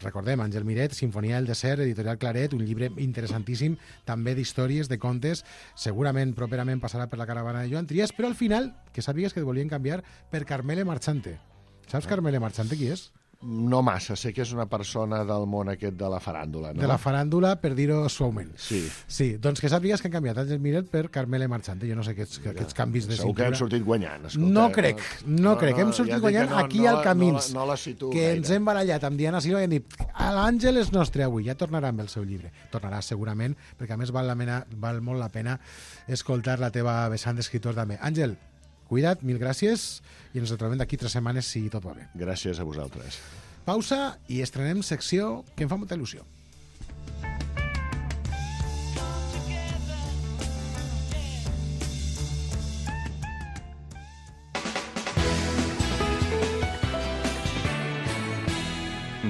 recordem, Àngel Miret, Sinfonia del Desert, editorial Claret, un llibre interessantíssim, també d'històries, de contes, segurament properament passarà per la caravana de Joan Trias, però al final, que sàpigues que et volien canviar per Carmele Marchante. Saps Carmele Marchante qui és? No massa, sé que és una persona del món aquest de la faràndula, no? De la faràndula, per dir-ho suaument. Sí. Sí, doncs que sàpigues que han canviat Àngel Miret per Carmele Marchante. Jo no sé aquests, Mira, aquests canvis de segur cintura. que hem sortit guanyant, escolta. No crec, no, no crec. Hem sortit ja guanyant no, aquí no, al Camins, no, no la situo que gaire. ens hem barallat amb Diana Silva i hem dit l'Àngel és nostre avui, ja tornarà amb el seu llibre. Tornarà segurament, perquè a més val, la mena, val molt la pena escoltar la teva vessant d'escriptor també. Àngel, cuida't, mil gràcies, i ens trobem d'aquí tres setmanes si tot va bé. Gràcies a vosaltres. Pausa i estrenem secció que em fa molta il·lusió.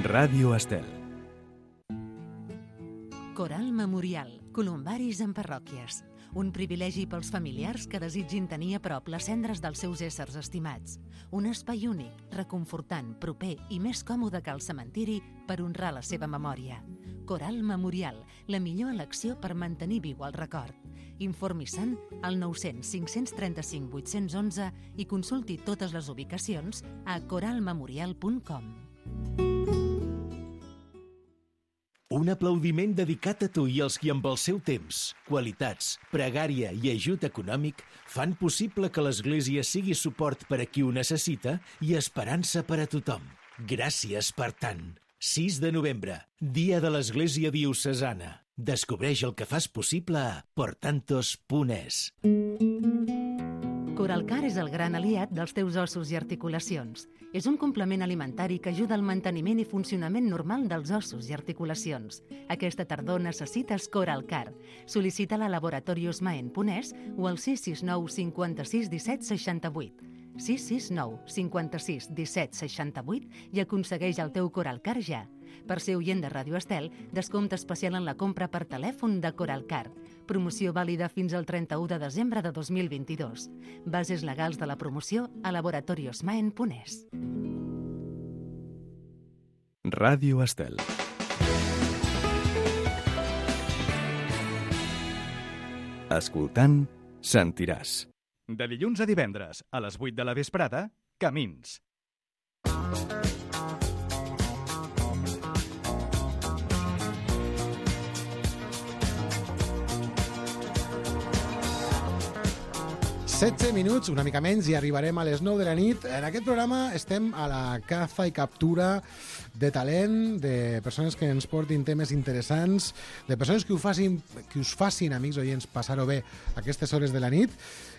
Ràdio Estel. Coral Memorial, columbaris en parròquies. Un privilegi pels familiars que desitgin tenir a prop les cendres dels seus éssers estimats. Un espai únic, reconfortant, proper i més còmode que el cementiri per honrar la seva memòria. Coral Memorial, la millor elecció per mantenir viu el record. Informi-se'n al nou cents cinc cents trenta-cinc vuit-cents onze i consulti totes les ubicacions a coral memorial punt com. Un aplaudiment dedicat a tu i als qui amb el seu temps, qualitats, pregària i ajut econòmic fan possible que l'Església sigui suport per a qui ho necessita i esperança per a tothom. Gràcies per tant. sis de novembre, Dia de l'Església Diocesana. Descobreix el que fas possible a portantos punt es. Coralcar és el gran aliat dels teus ossos i articulacions. És un complement alimentari que ajuda al manteniment i funcionament normal dels ossos i articulacions. Aquesta tardor necessites Coralcar. Sol·licita-la a laboratoriosmaen punt es o al sis sis nou cinquanta-sis disset seixanta-vuit. sis sis nou cinquanta-sis disset seixanta-vuit i aconsegueix el teu Coralcar ja. Per ser oient de Ràdio Estel, descompte especial en la compra per telèfon de Coralcar. Promoció vàlida fins al trenta-u de desembre de dos mil vint-i-dos. Bases legals de la promoció a laboratoriosmaen punt es. Ràdio Estel. Escoltant, sentiràs. De dilluns a divendres, a les vuit de la vesprada, Camins. setze minuts, una mica menys, i arribarem a les nou de la nit. En aquest programa estem a la caza i captura de talent, de persones que ens portin temes interessants, de persones que, ho facin, que us facin, amics oients, passar-ho bé aquestes hores de la nit.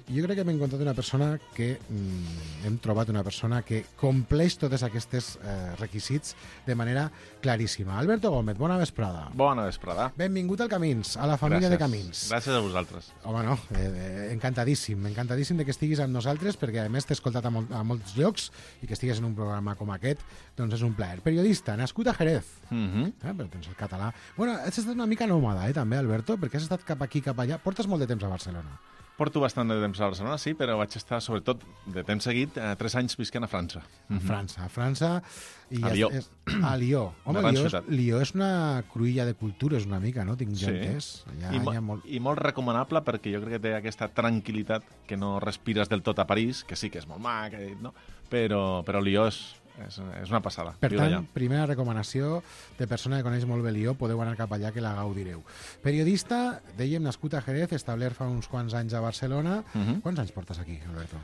I jo crec que hem encontrat una persona que mm, hem trobat una persona que compleix tots aquests eh, requisits de manera claríssima. Alberto Gómez, bona vesprada. Bona vesprada. Benvingut al Camins, a la família Gràcies. de Camins. Gràcies a vosaltres. Home, no, eh, eh, encantadíssim, encantadíssim de que estiguis amb nosaltres, perquè a més t'he escoltat a, mol a molts llocs i que estigues en un programa com aquest, doncs és un plaer. Periodista, nascut a Jerez, Mm -hmm. eh, però tens el català. Bueno, has estat una mica nòmada, eh, també, Alberto, perquè has estat cap aquí, cap allà. Portes molt de temps a Barcelona. Porto bastant de temps a Barcelona, sí, però vaig estar, sobretot, de temps seguit, eh, tres anys visquent a França. A França, a França... I A Lió. És, a Lió. Home, Una gran Lió és, ciutat. Lió és una cruïlla de cultures, una mica, no? Tinc Sí. ja entès. Allà, I, mo hi ha molt... I molt recomanable perquè jo crec que té aquesta tranquil·litat que no respires del tot a París, que sí que és molt mac, eh, no? però, però Lió és, és, és una passada. Per viure tant, allà. primera recomanació de persona que coneix molt bé Lió, podeu anar cap allà que la gaudireu. Periodista, dèiem, nascut a Jerez, establert fa uns quants anys a Barcelona. Uh -huh. Quants anys portes aquí, Alberto?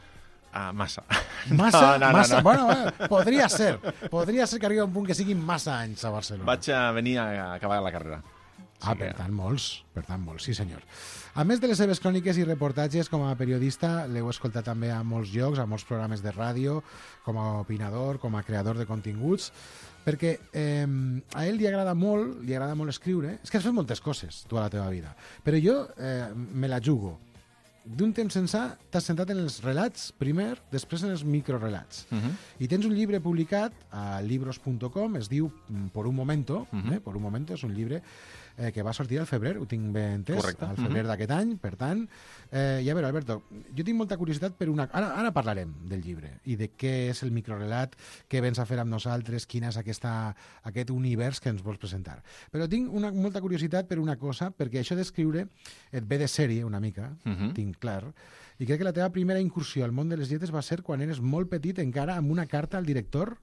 Ah, massa. Massa? No, no, no, massa? no. Bueno, bueno, podria ser. Podria ser que arribi a un punt que siguin massa anys a Barcelona. Vaig a venir a acabar la carrera. Ah, Sí per que- tant, molts. Per tant, molts, sí senyor. A més de les seves cròniques i reportatges com a periodista, l'heu escoltat també a molts llocs, a molts programes de ràdio, com a opinador, com a creador de continguts, perquè eh, a ell li agrada molt, li agrada molt escriure. És que has fet moltes coses, tu, a la teva vida. Però jo eh, me la jugo. D'un temps ençà t'has centrat en els relats primer, després en els microrelats. Uh -huh. I tens un llibre publicat a libros punt com, es diu Por un momento, Uh -huh. eh? Por un momento, és un llibre eh, que va sortir al febrer, ho tinc ben entès, Correcte. al febrer Uh-huh. d'aquest any, per tant. Eh, I a veure, Alberto, jo tinc molta curiositat per una... Ara, ara parlarem del llibre i de què és el microrelat, què vens a fer amb nosaltres, quin és aquesta, aquest univers que ens vols presentar. Però tinc una, molta curiositat per una cosa, perquè això d'escriure et ve de sèrie una mica, Uh -huh. tinc clar, i crec que la teva primera incursió al món de les lletres va ser quan eres molt petit, encara amb una carta al director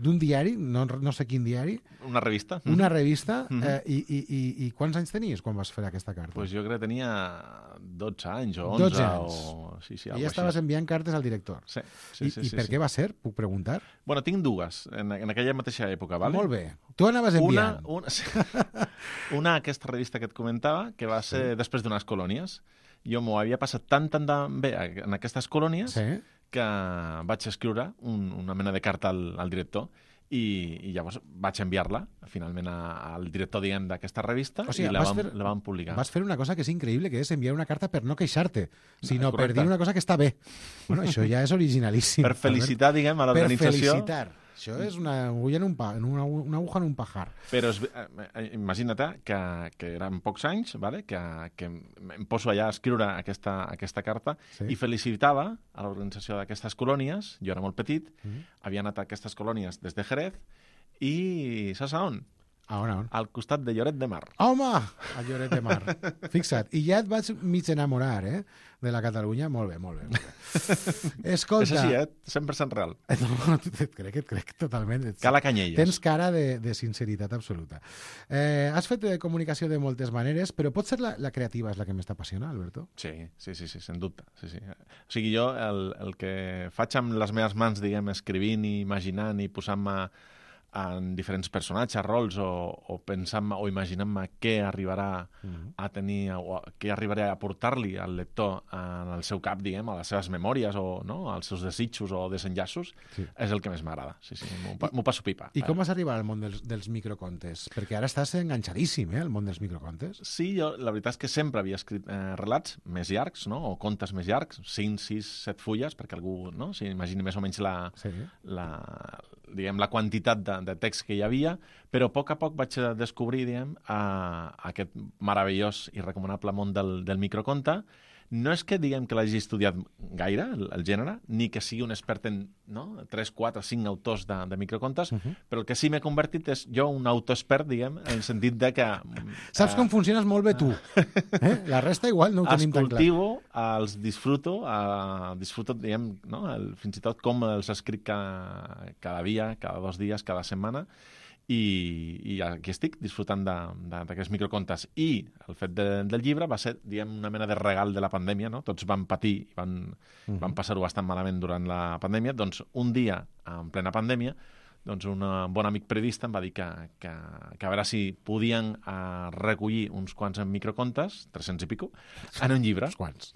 d'un diari, no, no sé quin diari, Una revista. una revista, Mhm. eh, i, i, i, i quants anys tenies quan vas fer aquesta carta? Pues jo crec que tenia dotze anys o onze. dotze anys. O... Sí, sí, I algo ja estaves així. enviant cartes al director. Sí, sí, I, sí, i sí, per sí. què va ser? Puc preguntar? Bueno, tinc dues, en, en aquella mateixa època, vale? Molt bé. Tu anaves enviant. Una, una, sí. una, aquesta revista que et comentava, que va ser sí. després d'unes colònies. Jo m'ho havia passat tan, tan, tan bé en aquestes colònies Sí. que vaig escriure un, una mena de carta al, al director i, i llavors vaig enviar-la finalment a, al director, diguem, d'aquesta revista O sigui, i la vas vam, fer- la vam publicar. Vas fer una cosa que és increïble, que és enviar una carta per no queixar-te, sinó per correcte. dir una cosa que està bé. Bueno, això ja és originalíssim. Per felicitar, diguem, a Per l'organització. felicitar. Això és una agulla en un, pa, en una, una aguja en un pajar. Però es, eh, imagina't que, que eren pocs anys, vale? que, que em poso allà a escriure aquesta, aquesta carta sí. i felicitava a l'organització d'aquestes colònies. Jo era molt petit, mm. havia anat a aquestes colònies des de Jerez i saps a on? A on, a on? Al costat de Lloret de Mar. Home! A Lloret de Mar. Fixa't. I ja et vaig mig enamorar, eh? De la Catalunya. Molt bé, molt bé. Molt bé. Escolta... És així, eh? cent per cent real. No, et crec, et crec totalment. Cala Canyelles. Tens cara de, de sinceritat absoluta. Eh, has fet comunicació de moltes maneres, però potser la, la creativa és la que més t'apassiona, Alberto? Sí, sí, sí, sí, sens dubte. Sí, sí. O sigui, jo el, el que faig amb les meves mans, diguem, escrivint i imaginant i posant-me en diferents personatges, rols, o, o pensant o imaginant-me què arribarà mm-hmm. a tenir, o què arribaré a aportar-li al lector en el seu cap, diguem, a les seves memòries o no, als seus desitjos o desenllaços, sí. és el que més m'agrada. Sí, sí, m'ho passo pipa. I com vas arribar al món dels, dels microcontes? Perquè ara estàs enganxadíssim, eh, al món dels microcontes. Sí, jo la veritat és que sempre havia escrit eh, relats més llargs, no? O contes més llargs, cinc, sis, set fulles, perquè algú no? s'imagini més o menys la, sí. la, diguem, la quantitat de, de text que hi havia, però a poc a poc vaig descobrir, diguem, a, a aquest meravellós i recomanable món del, del microconte. No és que diguem que l'hagi estudiat gaire, el, el gènere, ni que sigui un expert en no? tres, quatre, cinc autors de, de microcontes, uh-huh. però el que sí m'he convertit és jo un autoexpert, diguem, en el sentit de que... Saps uh, com funciones molt bé tu. Eh? La resta igual no ho tenim tan clar. Els cultivo, els disfruto, uh, disfruto, diguem, no? el, fins i tot com els escric cada, cada dia, cada dos dies, cada setmana, i, i aquí estic disfrutant d'aquests microcontes. I el fet de, del llibre va ser, diguem, una mena de regal de la pandèmia, no? Tots van patir i van, uh-huh. van passar-ho bastant malament durant la pandèmia. Doncs un dia, en plena pandèmia, doncs un bon amic periodista em va dir que, que, que a veure si podien uh, recollir uns quants microcontes, tres-cents i pico, en un llibre. Uns quants.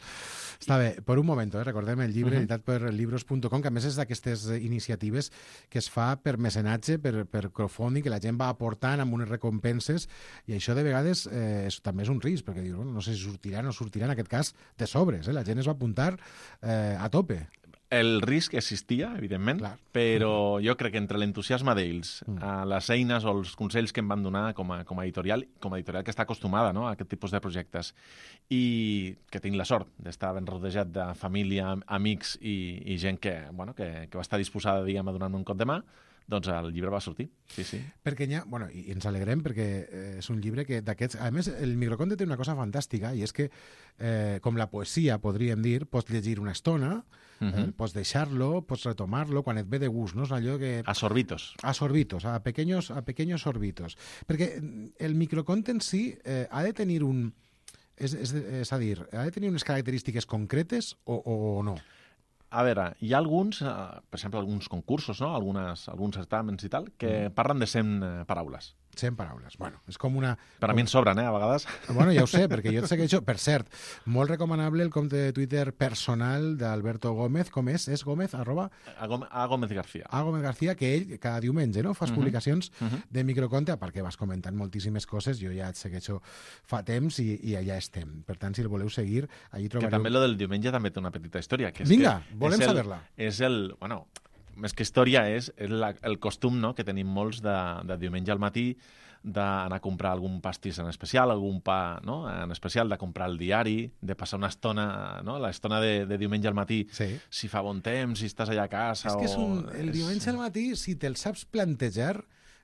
Està bé, per un moment, eh? recordem el llibre uh-huh. editat per libros punt com, que a més és d'aquestes iniciatives que es fa per mecenatge, per, per crowdfunding, que la gent va aportant amb unes recompenses, i això de vegades eh, és, també és un risc, perquè dius, bueno, no sé si sortirà o no sortirà, en aquest cas, de sobres, eh? La gent es va apuntar eh, a tope. El risc existia, evidentment, Clar. però jo crec que entre l'entusiasme d'ells, mm. les eines o els consells que em van donar com a, com a editorial, com a editorial que està acostumada, no?, a aquest tipus de projectes, i que tinc la sort d'estar ben rodejat de família, amics i, i gent que, bueno, que, que va estar disposada, diguem, a donar-me un cop de mà, doncs el llibre va sortir, sí, sí. Perquè ja, bueno, i ens alegrem perquè eh, és un llibre que d'aquests... A més, el microconte té una cosa fantàstica, i és que, eh, com la poesia, podríem dir, pots llegir una estona, uh-huh. eh, pots deixar-lo, pots retomar-lo quan et ve de gust, no? És allò que... A sorbitos. A sorbitos, a pequeños, a pequeños sorbitos. Perquè el microconte en si eh, ha de tenir un... És, és, és a dir, ha de tenir unes característiques concretes o, o no? A veure, hi ha alguns, eh, per exemple, alguns concursos, no? Algunes, alguns certàmens i tal, que mm. parlen de cent eh, paraules. cent paraules. Bueno, és com una... Per a com... mi en sobren, eh, a vegades. Bueno, ja ho sé, perquè jo et segueixo... Per cert, molt recomanable el compte de Twitter personal d'Alberto Gómez. Com és? És Gómez, arroba... A, Gómez, a Gómez García. A Gómez García, que ell cada diumenge, no?, fas uh-huh. publicacions uh-huh. de microconte, perquè vas comentant moltíssimes coses, jo ja et segueixo fa temps i, i allà estem. Per tant, si el voleu seguir, allí trobareu... Que també lo del diumenge també té una petita història. Que és Vinga, que volem és el, saber-la. És el... Bueno, més que història, és, és la, el costum, no?, que tenim molts de, de diumenge al matí, d'anar a comprar algun pastís en especial, algun pa, no?, en especial, de comprar el diari, de passar una estona, no?, l'estona de, de diumenge al matí, sí. si fa bon temps, si estàs allà a casa... És que és un, o... el diumenge al matí, si te'l saps plantejar,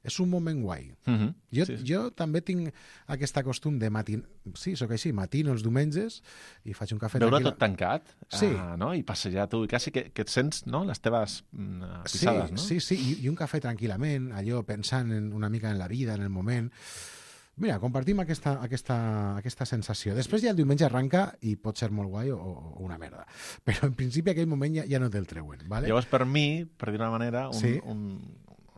és un moment guai. Uh-huh. Jo, sí, sí. jo també tinc aquest costum de matin... Sí, sóc així, matino els diumenges i faig un cafè Veure tranquil. tot tancat, sí. uh, no? I passejar tu, i quasi que, que et sents, no?, les teves uh, pisades, sí, no? Sí, sí, i, i un cafè tranquil·lament, allò pensant en una mica en la vida, en el moment... Mira, compartim aquesta, aquesta, aquesta sensació. Després ja el diumenge arranca i pot ser molt guai o, o una merda. Però en principi aquell moment ja, ja no te'l treuen. Vale? Llavors, per mi, per dir una manera, un, sí. un,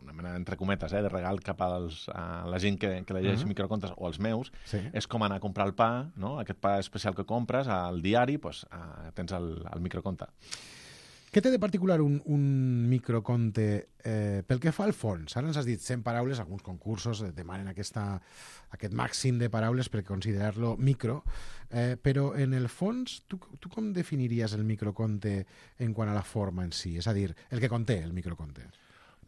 una mena entre cometes, eh, de regal cap als, a la gent que, que llegeix uh-huh. microcontes, o els meus, sí. és com anar a comprar el pa, no?, aquest pa especial que compres, al diari, pues, a, tens el, el microconte. Què té de particular un, un microconte eh, pel que fa al fons? Ara ens has dit cent paraules, alguns concursos demanen aquesta, aquest màxim de paraules per considerar-lo micro, eh, però en el fons, tu, tu com definiries el microconte en quant a la forma en si? És a dir, el que conté el microconte.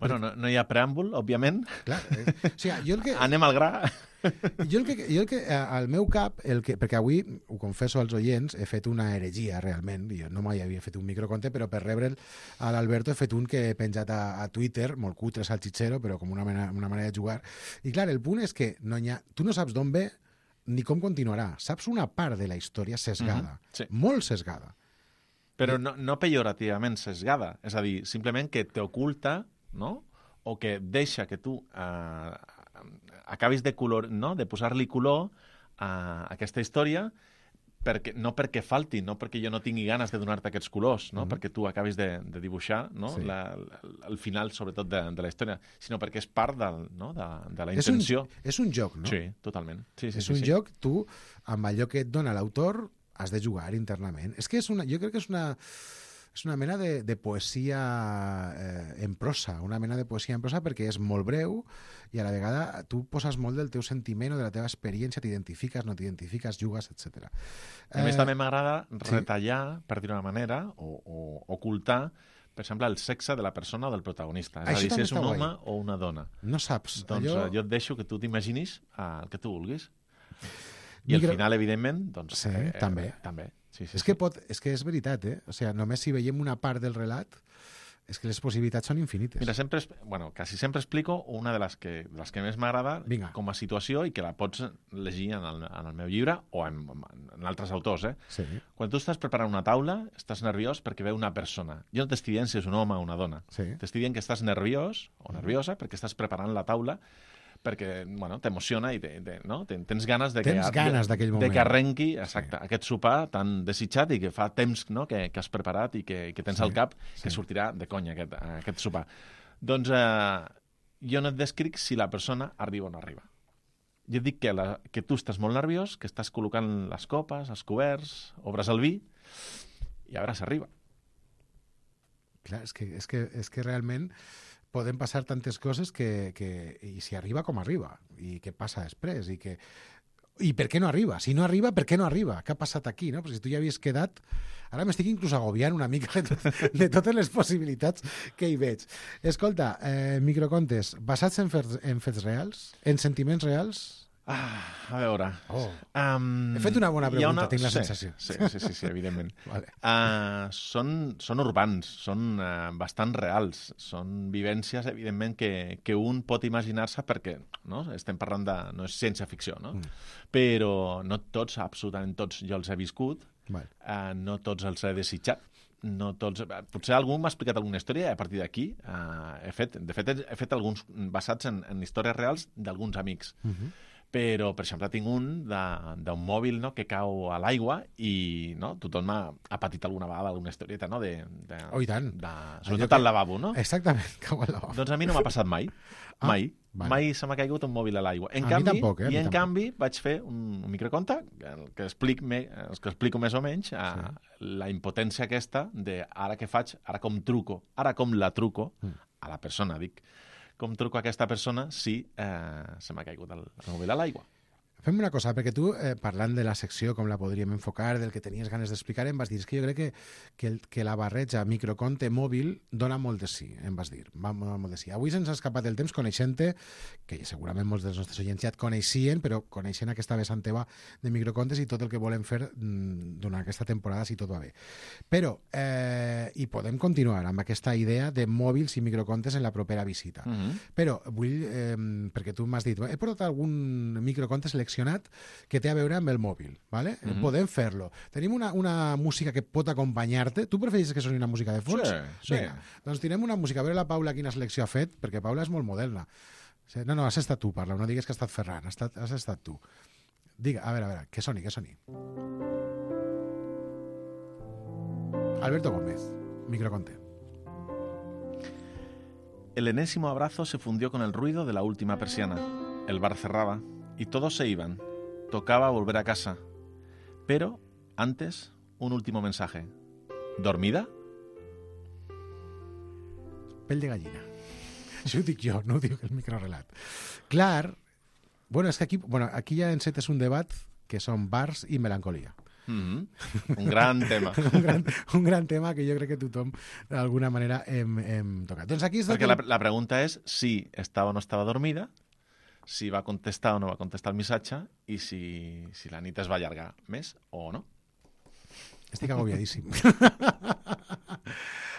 Bueno, no, no hi ha preàmbul, òbviament. Clar, eh, o sigui, jo el que... Anem al gra. Jo el que, jo el que al meu cap, el que, perquè avui, ho confesso als oients, he fet una heregia realment, jo no mai havia fet un microconte, però per rebre'l a l'Alberto he fet un que he penjat a, a Twitter, molt cutre, salchichero, però com una manera, una manera de jugar. I clar, el punt és que no ha, tu no saps d'on ve ni com continuarà. Saps una part de la història sesgada, mm-hmm, sí. molt sesgada. Però no, no pejorativament sesgada, és a dir, simplement que t'oculta, no?, o que deixa que tu eh, acabis de, color, no? de posar-li color a aquesta història, perquè, no perquè falti, no perquè jo no tingui ganes de donar-te aquests colors, no? Mm-hmm. perquè tu acabis de, de dibuixar no? sí. la, la, el final, sobretot, de, de la història, sinó perquè és part del, no? de, de la intenció. És un, és un joc, no? Sí, totalment. Sí, sí, és sí, un sí. joc, tu, amb allò que et dona l'autor, has de jugar internament. És que és una, jo crec que és una... És una mena de, de poesia eh, en prosa, una mena de poesia en prosa perquè és molt breu i a la vegada tu poses molt del teu sentiment o de la teva experiència, t'identifiques, no t'identifiques, jugues, etcètera. A més, eh, també m'agrada retallar, sí. per dir-ho d'una manera, o, o ocultar, per exemple, el sexe de la persona o del protagonista. És Això a dir, si és un guai. home o una dona. No saps. Doncs allò... jo et deixo que tu t'imaginis el que tu vulguis. I Micro... al final, evidentment, doncs... Sí, eh, també. Eh, també. Sí, sí, és, sí. que pot, és que és veritat, eh? O sigui, només si veiem una part del relat, és que les possibilitats són infinites. Mira, sempre, bueno, quasi sempre explico una de les que, de les que més m'agrada com a situació i que la pots llegir en el, en el meu llibre o en, en altres autors, eh? Sí. Quan tu estàs preparant una taula, estàs nerviós perquè ve una persona. Jo no t'estic dient si és un home o una dona. Sí. T'estic dient que estàs nerviós o nerviosa perquè estàs preparant la taula perquè, bueno, t'emociona i te, te, no? tens ganes de que, tens ganes d'aquell moment. De que arrenqui exacte, sí. aquest sopar tan desitjat i que fa temps no? que, que has preparat i que, que tens sí. al cap que sí. sortirà de conya aquest, aquest sopar. Doncs eh, jo no et descric si la persona arriba o no arriba. Jo et dic que, la, que tu estàs molt nerviós, que estàs col·locant les copes, els coberts, obres el vi i a veure si arriba. Clar, és que, és que, és que realment poden passar tantes coses que, que i si arriba com arriba i què passa després i, que, i per què no arriba, si no arriba per què no arriba, què ha passat aquí, no? Però si tu ja havies quedat, ara m'estic inclús agobiant una mica de, tot, de totes les possibilitats que hi veig. Escolta, eh, microcontes basats en fets, en fets reals, en sentiments reals. Ah, a veure... Oh. Um, He fet una bona pregunta, una... tinc la sí, sensació. Sí, sí, sí, sí evidentment. Vale. uh, són, són urbans, són uh, bastant reals, són vivències, evidentment, que, que un pot imaginar-se perquè no? estem parlant de... no és ciència-ficció, no? Mm. Però no tots, absolutament tots, jo els he viscut, vale. uh, no tots els he desitjat, no tots... Potser algú m'ha explicat alguna història i a partir d'aquí uh, he fet... De fet, he fet alguns basats en, en històries reals d'alguns amics. Mm-hmm. Però, per exemple, tinc un d'un mòbil no, que cau a l'aigua i no, tothom ha, ha patit alguna vegada alguna historieta, no? De, de, oh, i tant. De, sobretot al lavabo, no? Exactament, cau al lavabo. Doncs a mi no m'ha passat mai. Ah, mai. vale. Mai se m'ha caigut un mòbil a l'aigua. En a canvi, mi tampoc, eh? I en tampoc. canvi vaig fer un, un microconte el que, explic me, el que explico més o menys a sí. la impotència aquesta de ara què faig, ara com truco, ara com la truco mm. a la persona, dic. Com truco a aquesta persona si eh, se m'ha caigut el, el mòbil a l'aigua. Fem una cosa, perquè tu, eh, parlant de la secció, com la podríem enfocar, del que tenies ganes d'explicar, em vas dir, és que jo crec que, que, el, que la barreja microconte mòbil dona molt de sí, em vas dir, va molt de sí. Avui se'ns ha escapat el temps coneixent-te, que segurament molts dels nostres oients ja et coneixien, però coneixent aquesta vessant teva de microcontes i tot el que volem fer mm, durant aquesta temporada, si tot va bé. Però, eh, i podem continuar amb aquesta idea de mòbils i microcontes en la propera visita. Mm-hmm. Però vull, eh, perquè tu m'has dit, he portat algun microconte seleccionat que té a veure amb el mòbil, ¿vale? Mm-hmm. Podem fer-lo. Tenim una, una música que pot acompanyar-te. Tu prefereixes que soni una música de fons? Sí, sí. Vinga, doncs tirem una música. A veure la Paula quina selecció ha fet, perquè Paula és molt moderna. No, no, has estat tu, parla. No digues que ha estat Ferran, has estat, has estat tu. Diga, a veure, a veure, que soni, que soni. Alberto Gómez, microconte. El enésimo abrazo se fundió con el ruido de la última persiana. El bar cerraba y todos se iban. Tocaba volver a casa. Pero, antes, un último mensaje. ¿Dormida? Pell de gallina. Això ho dic jo, no ho diu el microrelat. Clar, bueno, és que aquí, bueno, aquí ja encetes un debat que són bars i melancolia. Mm-hmm. Un gran tema. un, gran, un gran tema que jo crec que tothom d'alguna manera hem, hem tocat. Doncs aquí és Perquè la, la pregunta és si estava o no estava dormida, si va contestar o no va contestar el missatge i si, si la nit es va allargar més o no. Estic agobiadíssim.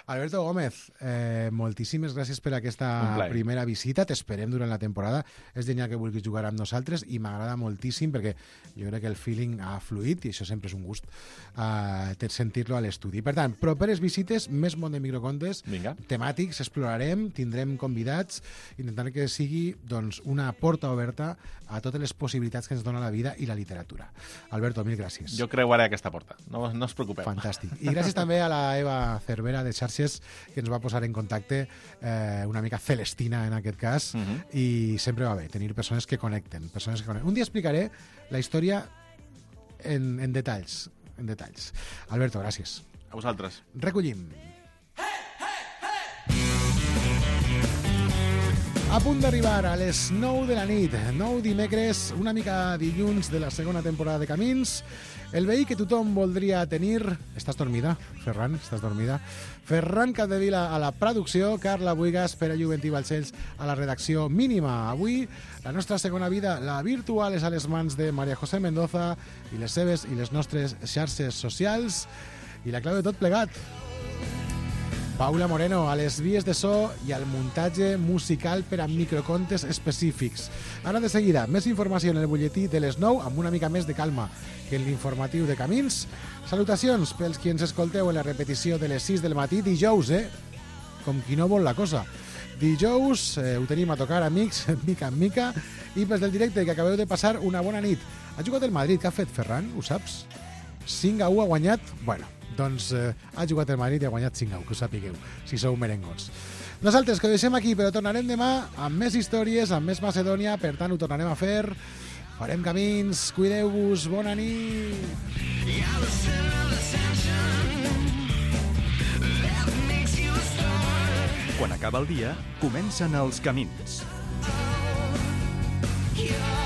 Alberto Gómez, eh, moltíssimes gràcies per aquesta primera visita. T'esperem durant la temporada. És genial que vulguis jugar amb nosaltres i m'agrada moltíssim perquè jo crec que el feeling ha fluït i això sempre és un gust eh, sentir-lo a l'estudi. Per tant, properes visites, més món de microcontes, Vinga. temàtics, explorarem, tindrem convidats, intentant que sigui doncs, una porta oberta a totes les possibilitats que ens dona la vida i la literatura. Alberto, mil gràcies. Jo creuaré aquesta porta, no, no us preocupeu. Fantàstic. I gràcies també a la Eva Cervera de Xarxes, que ens va posar en contacte, eh, una mica celestina en aquest cas, uh -huh. i sempre va bé tenir persones que connecten, persones que connecten. Un dia explicaré la història en, en detalls, en detalls. Alberto, gràcies. A vosaltres. Recollim. A punt d'arribar a les nou de la nit, nou dimecres, una mica dilluns de la segona temporada de Camins. El veí que tothom voldria tenir... Estàs dormida, Ferran? Estàs dormida? Ferran Capdevila a la producció, Carla Buigas, Pere Juventí Balcells a la redacció mínima. Avui, la nostra segona vida, la virtual, és a les mans de Maria José Mendoza i les seves i les nostres xarxes socials. I la clau de tot plegat, Paula Moreno, a les vies de so i al muntatge musical per a microcontes específics. Ara de seguida, més informació en el butlletí de les nou, amb una mica més de calma que en l'informatiu de Camins. Salutacions pels qui ens escolteu en la repetició de les sis del matí, dijous, eh? Com qui no vol la cosa. Dijous, eh, ho tenim a tocar, amics, mica en mica, i pels del directe, que acabeu de passar una bona nit. Ha jugat el Madrid, què ha fet Ferran? Ho saps? cinc a u ha guanyat? Bueno, doncs eh, ha jugat el Madrid i ha guanyat cinc a u, que ho sapigueu, si sou merengons. Nosaltres que ho deixem aquí, però tornarem demà amb més històries, amb més Macedònia, per tant ho tornarem a fer, farem camins, cuideu-vos, bona nit! Quan acaba el dia, comencen els camins. Yeah.